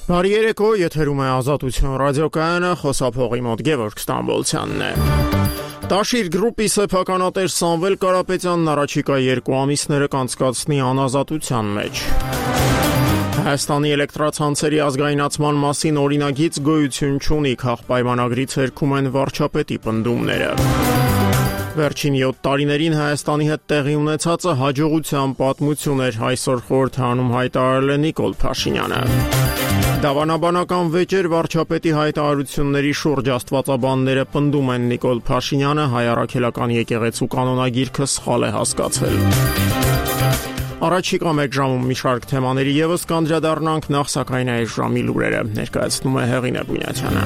Բարի երեկո, եթերում է Ազատություն ռադիոկայանը, խոսափողի մոտ Գևորգ Ստամբոլցյանն է։ Տաշիր գրուպի սեփականատեր Սամվել Կարապետյանն առաջիկա 2 ամիսները կանցկացնի անազատության մեջ։ Հայաստանի էլեկտրացանցերի ազգայնացման մասին օրինագիծ գոյություն չունի, քաղաքապայմանագրի ցերքում են վարչապետի պնդումները։ Վերջին 7 տարիներին Հայաստանի հետ տեղի ունեցածը հաջողության պատմություն էր, այսօր խորհրդարանում հայտարարել է Նիկոլ Փաշինյանը։ Դավանաբանական վեճեր վարչապետի հայտարարությունների շուրջ աստվածաբանները պնդում են Նիկոլ Փաշինյանը հայ առաքելական եկեղեցու կանոնագիրքը սխալ է հասկացել։ Առաջիկա 1 ժամում մի շարք թեմաների ևս կանդրադառնանք, նախ սակայն այս ժամի լուրերը ներկայացնում է Հեղինե Բունյացյանը։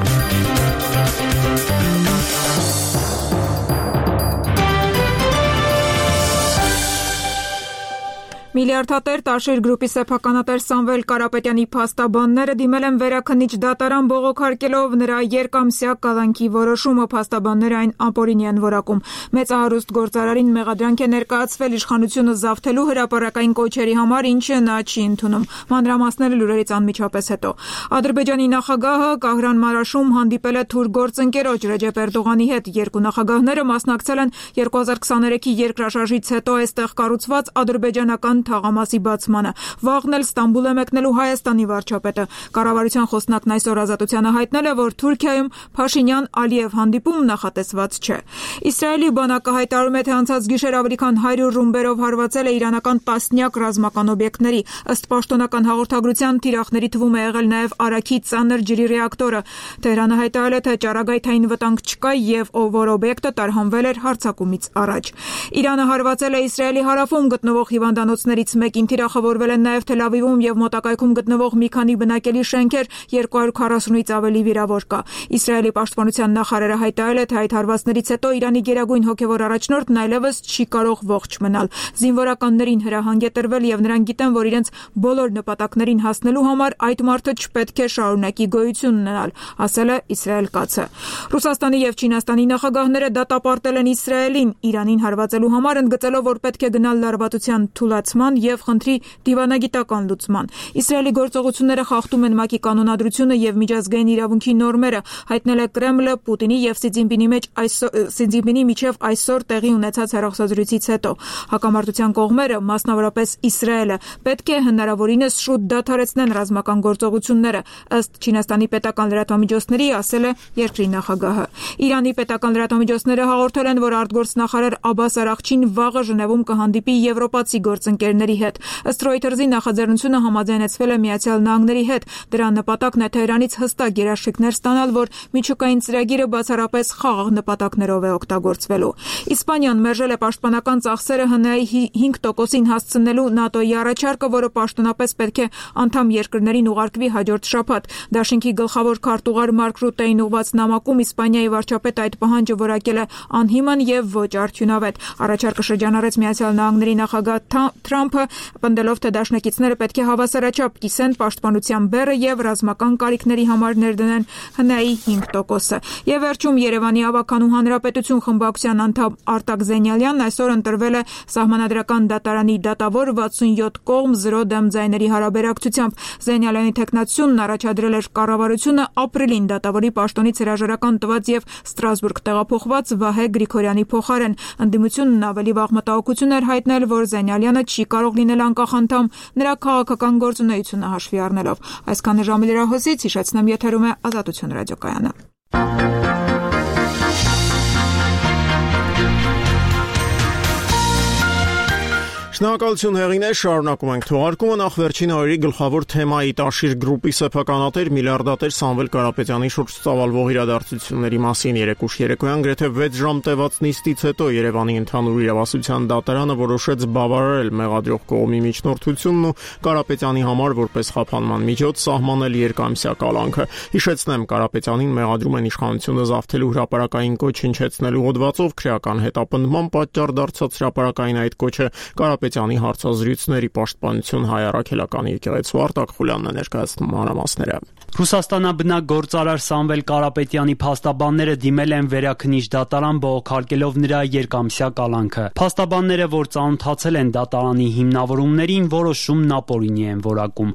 Միլիարդատեր Տաշիր գրուպի սեփականատեր Սամվել Կարապետյանի փաստաբանները դիմել են վերաքննիչ դատարան բողոքարկելով նրա երկամսյա կալանքի որոշումը, փաստաբանները այն ապօրինի են որակում։ Մեծահարուստ գործարարին մեղադրանք է ներկայացվել իշխանությունը զավթելու հրապարակային կոչերի համար, ինչը նա չի ընդունում։ Մանրամասները լուրերից անմիջապես հետո։ Ադրբեջանի նախագահը Կահրան Մարաշում հանդիպել է թուրք գործընկերոջ Ռեջեփ Էրդողանի հետ։ Երկու նախագահները մասնակցել են 2023-ի երկրաշարժից հետո այստեղ կառուցված ադրբեջանական թաղամասի բացմանը։ Վաղն էլ Ստամբուլ է մեկնելու Հայաստանի վարչապետը։ Կառավարության խոսնակն այսօր Ազատությանը հայտնել է, որ Թուրքիայում Փաշինյան-Ալիև հանդիպում նախատեսված չէ։ Իսրայելի բանակը հայտարարում է, թե անցած գիշեր ավելի քան 100 ռումբերով հարվածել է իրանական տասնյակ ռազմական օբյեկտների։ Ըստ պաշտոնական հաղորդագրության, թիրախների թվում է եղել նաև Արաքի ծանր ջրի ռեակտորը։ Թեհրանը հայտարարել է, թե ճառագայթային վտանգ չկա եւ որ օբյեկտը տարհանվել էր հարձակումից առաջ։ Իրանը հարվածել է Իսրայելի հարավում գտնվող հիվանդանոցներից մեկին, թիրախավորվել են նաև Թել Ավիվում եւ մոտակայքում գտնվող մի քանի բնակելի շենքեր, 240-ից ավելի վիրավոր կա։ Իսրայելի պաշտպանության նախարարը հայտարարել է, թե այդ հարվածներից հետո Իրանի գերագույն հոգեվոր առաջնորդն այլևս չի կարող ողջ մնալ։ Զինվորականներին հրահանգ է տրվել եւ նրանք գիտեն, որ իրենց բոլոր նպատակներին հասնելու համար այդ մարդը չպետք է շարունակի գոյություն ունենալ, ասել է Իսրայել կացը։ Ռուսաստանի եւ Չինաստանի նախագահները դատապարտել են Իսրայելին Իրանին հարվածելու համար, ընդգծելով, որ պետք է գնալ լարվածության թուլացման եւ խնդրի դիվանագիտական լուծման։ Իսրայելի գործողությունները խախտում են ՄԱԿ-ի կանոնադրությունը եւ միջազգային իրավունքի նորմերը, հայտնել է Կրեմլը Պուտինի եւ Սի Ցզինպինի միջև այսօր տեղի ունեցած հեռախոսազրույցից հետո։ Հակամարտության կողմերը, մասնավորապես Իսրայելը, պետք է հնարավորինս շուտ դադարեցնեն ռազմական գործողությունները, ըստ Չինաստանի պետական լրատվամիջոցների, ասել է երկրի նախագահը։ Իրանի պետական լրատվամիջոցները հաղորդել են, որ արտգործնախարար Աբբաս Արաղչին վաղը Ժնևում կհանդիպի եվրոպացի գործընկերների հետ։ Ըստ Reuters-ի նախաձեռնությունը համաձայնեցվել է Միացյալ Նահանգների հետ։ Դրա նպատակն է Թեհրանից հստակ երաշխիքներ ստանալ, որ միջուկային ծրագիրը բացառապես խաղաղ նպատակներով է օգտագործվելու։ Իսպանիան մերժել է պաշտպանական ծախսերը ՀՆԱ-ի 5%-ին հասցնելու ՆԱՏՕ-ի առաջարկը, որը պաշտոնապես պետք է անդամ երկրներին ուղարկվի հաջորդ շաբաթ։ Դաշինքի գլխավոր քարտուղար Մարկ Ռուտեին ուղված նամակում Իսպանիայի վարչապետը այդ պահանջը որակել է անհիմն եւ ոչ արդյունավետ։ Առաջարկը շրջանառեց Միացյալ Նահանգների նախագահ Թրամփը, պնդելով, թե դաշնակիցները պետք է հավասարաչափ կիսեն պաշտպանության բեռը եւ ռազմական կարիքների համար ներդնեն ՀՆԱ-ի 5%-ը։ Եվ վերջում Երևանի ավականու հանրապետություն խմբակցության անդամ Արտակ Զենյալյանն այսօր ընտրվել է Սահմանադրական դատարանի դատավոր 67 կողմ 0 դեմ ձայների հարաբերակցությամբ։ Զենյալյանի թեկնածությունն առաջադրել էր կառավարությունը ապրիլին դատավորի պաշտոնից հրաժարական տված եւ Ստրասբուրգ տեղափոխված Վահե Գրիգորյանի փոխարեն։ Ընդդիմությունն ավելի վաղ մտահոգություն էր հայտնել, որ Զենյալյանը չի կարող լինել անկախ անդամ նրա քաղաքական գործունեությունը հաշվի առնելով։ Այսքանը ժամի լրահոսից, հիշեցնեմ, եթերում է Ազատություն ռադիոկայանը։ Շնորհակալություն Հեղինե, շարունակում ենք թողարկումը, նախ վերջին օրերի գլխավոր թեմայի Տաշիր գրուպի սեփականատեր միլիարդատեր Սամվել Կարապետյանի շուրջ ծավալվող իրադարձությունների մասին երեկուշ երեկոյան գրեթե 6 ժամ տևած նիստից հետո Երևանի ընդհանուր իրավասության դատարանը որոշեց բավարարել մեղադրող կողմի միջնորդությունն ու Կարապետյանի համար որպես խափանման միջոց սահմանել երկամսյա կալանքը։ Հիշեցնեմ, Կարապետյանին մեղադրում են իշխանությունը զավթելու հրապարակային կոչ հնչեցնելու հոդվածով, քրեական հետապնդման պատճառ դարձած հրապարակային այդ կոչը Կարապետյանի հարցազրույցների պաշտպանություն հայ առաքելական եկեղեցու Արտակ Խուլյանն է ներկայացնում մանրամասները։ Ռուսաստանաբնակ գործարար Սամվել Կարապետյանի փաստաբանները դիմել են վերաքննիչ դատարան բողոքարկելով նրա երկամսյա կալանքը։ Փաստաբանները, որ ծանոթացել են դատարանի հիմնավորումներին, որոշումն ապօրինի են որակում։